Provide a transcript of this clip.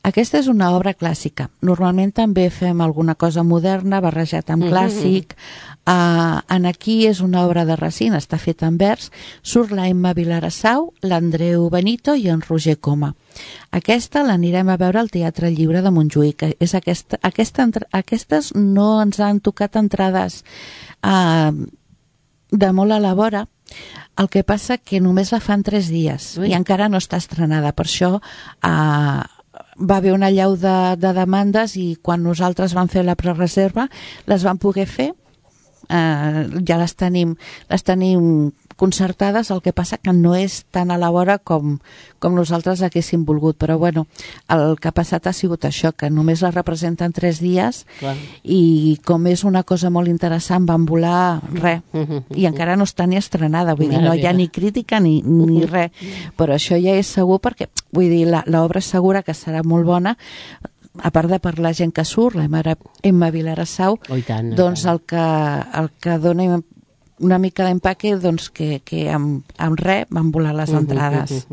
Aquesta és una obra clàssica. Normalment també fem alguna cosa moderna, barrejat amb clàssic. En aquí és una obra de Racine, està feta en vers. Surt la Emma Vilarassau, l'Andreu Benito i en Roger Coma. Aquesta l'anirem a veure al Teatre Lliure de Montjuïc. Aquestes no ens han tocat entrades de molt a la vora. El que passa que només la fan 3 dies i encara no està estrenada. Per això va haver una allau de demandes i quan nosaltres vam fer la prereserva les vam poder fer. Ja les tenim concertades, el que passa que no és tan a la vora com nosaltres haguéssim volgut, però bueno, el que ha passat ha sigut això, que només la representen 3 dies. Clar. I com és una cosa molt interessant van volar res, i encara no està ni estrenada, vull dir, no hi ha ni crítica ni res, però això ja és segur perquè, vull dir, l'obra és segura que serà molt bona, a part de per la gent que surt, la Emma Vilarassau, doncs el que dona una mica d'empaque, doncs que amb res van volar les entrades.